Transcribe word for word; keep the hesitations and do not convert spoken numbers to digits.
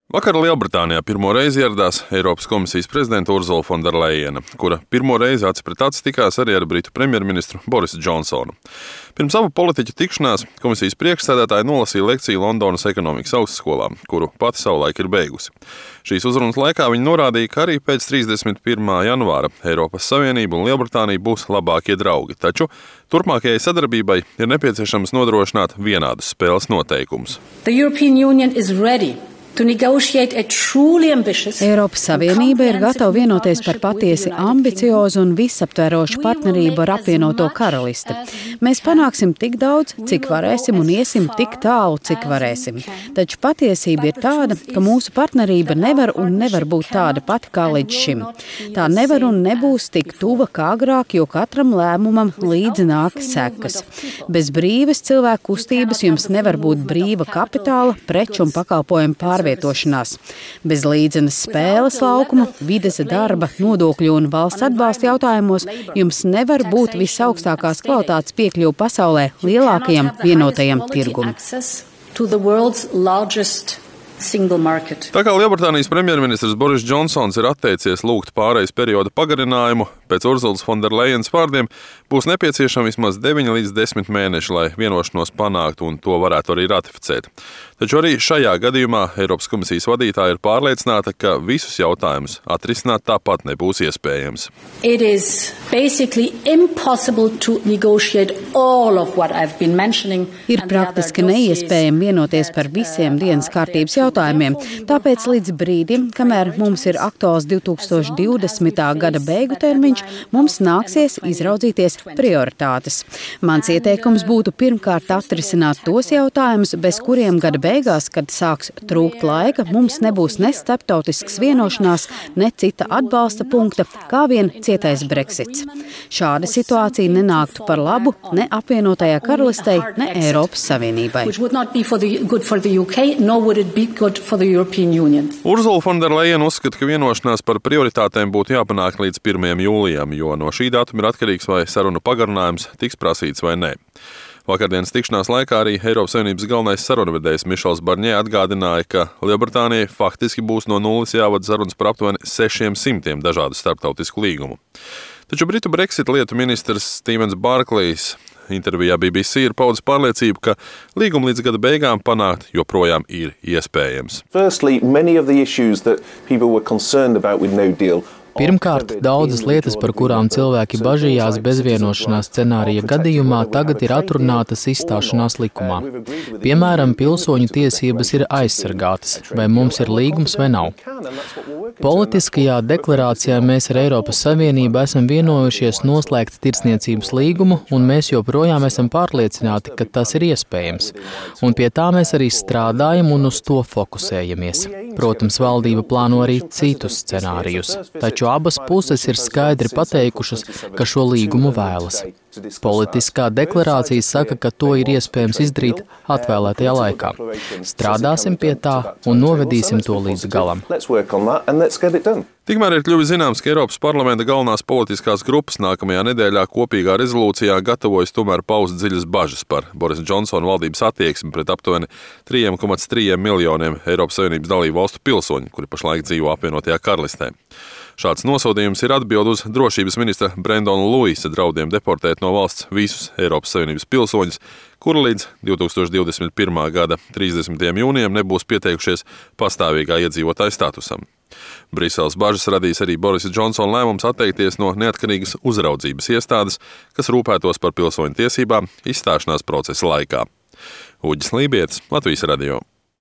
Vakar Lielbritānijā pirmo reizi ieradās Eiropas komisijas prezidenta Urzula Fonderlejena, kura pirmo reizi acis pret aci tikās arī ar britu premjerministru Borisu Džonsonu. Pirms abu politiķu tikšanās komisijas priekšsēdētāja nolasīja lekciju Londonas ekonomikas augstskolā, kuru pati savulaik ir beigusi. Šīs uzrunas laikā viņa norādīja, ka arī pēc trīsdesmit pirmā janvāra Eiropas Savienība un Lielbritānija būs labākie draugi, taču turpmākajai sadarbībai ir nepieciešams nodrošināt vienādus spēles noteikumus. Eiropas Savienība ir gatava vienoties par patiesi ambiciozu un visaptverošu partnerību ar apvienoto karalisti. Mēs panāksim tik daudz, cik varēsim, un iesim tik tālu, cik varēsim. Taču patiesība ir tāda, ka mūsu partnerība nevar un nevar būt tāda pati kā līdz šim. Tā nevar un nebūs tik tuva kā agrāk, jo katram lēmumam līdzi nāk sekas. Bez brīvas cilvēku kustības jums nevar būt brīva kapitāla, preču un pakalpojumu pārvietošanās. Bez līdzenas spēles laukuma, vides, darba, nodokļu un valsts atbalsta jautājumos jums nevar būt visaugstākās kvalitātes piekļuve pasaulē lielākajam vienotajam tirgumam. Tā kā Lielbritānijas premjerministrs Boris Džonsons ir atteicies lūgt pārejas perioda pagarinājumu, pēc Urzulas Fonderlejenas vārdiem būs nepieciešami vismaz deviņi līdz desmit mēneši, lai vienošanos panāktu un to varētu arī ratificēt. Taču arī šajā gadījumā Eiropas komisijas vadītāja ir pārliecināta, ka visus jautājumus atrisināt tāpat nebūs iespējams. Ir praktiski neiespējami vienoties par visiem dienas kārtības jautājumiem, tāpēc līdz brīdim, kamēr mums ir aktuāls divi tūkstoši divdesmitā gada beigu termiņš, mums nāksies izraudzīties prioritātes. Mans ieteikums būtu pirmkārt atrisināt tos jautājumus, bez kuriem gada beigās, kad sāks trūkt laika, mums nebūs ne starptautisks vienošanās, ne cita atbalsta punkta, kā vien cietais Brexits. Šāda situācija nenāktu par labu ne apvienotajā karalistei, ne Eiropas Savienībai. Urzula Fonderlejena uzskata, ka vienošanās par prioritātēm būtu jāpanāk līdz pirmajam jūlijam, jo no šī datuma ir atkarīgs, vai sarunu pagarinājums tiks prasīts vai nē. Vakardienas tikšanās laikā arī Eiropas Savienības galvenais sarunvedējs Mišels Barņē atgādināja, ka Lielbritānijai faktiski būs no nulles jāvada sarunas par aptuveni sešiem simtiem dažādu starptautisku līgumu. Taču Britu Brexit lietu ministrs Stevens Barklejs intervijā B B C ir paudis pārliecību, ka līgumu līdz gada beigām panākt joprojām ir iespējams. Firstly, many of the issues that people were concerned about with no deal. Pirmkārt, daudzas lietas, par kurām cilvēki bažījās bezvienošanās scenārija gadījumā, tagad ir atrunātas izstāšanās likumā. Piemēram, pilsoņu tiesības ir aizsargātas, vai mums ir līgums vai nav. Politiskajā deklarācijā mēs ar Eiropas Savienību esam vienojušies noslēgt tirdzniecības līgumu, un mēs joprojām esam pārliecināti, ka tas ir iespējams. Un pie tā mēs arī strādājam un uz to fokusējamies. Protams, valdība plāno arī citus scenārijus, taču abas puses ir skaidri pateikušas, ka šo līgumu vēlas. Politiskā deklarācija saka, ka to ir iespējams izdarīt atvēlētajā laikā. Strādāsim pie tā un novedīsim to līdz galam. Tikmēr ir kļuvis zināms, ka Eiropas parlamenta galvenās politiskās grupas nākamajā nedēļā kopīgā rezolūcijā gatavojas tomēr paust dziļas bažas par Borisa Džonsona valdības attieksmi pret aptuveni trīs komats trīs miljoniem Eiropas Savienības dalību valstu pilsoņu, kuri pašlaik dzīvo apvienotajā karalistē. Šāds nosodījums ir atbild uz drošības ministra Brendona Luisa draudiem deportēt no valsts visus Eiropas Savienības pilsoņus, kuri līdz divi tūkstoši divdesmit pirmā gada trīsdesmitajam jūnijam nebūs pieteikušies pastāvīgā iedzīvotāja statusam. Briseles bažas radīs arī Borisa Džonsona lēmums atteikties no neatkarīgas uzraudzības iestādes, kas rūpētos par pilsoņu tiesībām izstāšanās procesa laikā. Uģis Lībietis, Latvijas radio.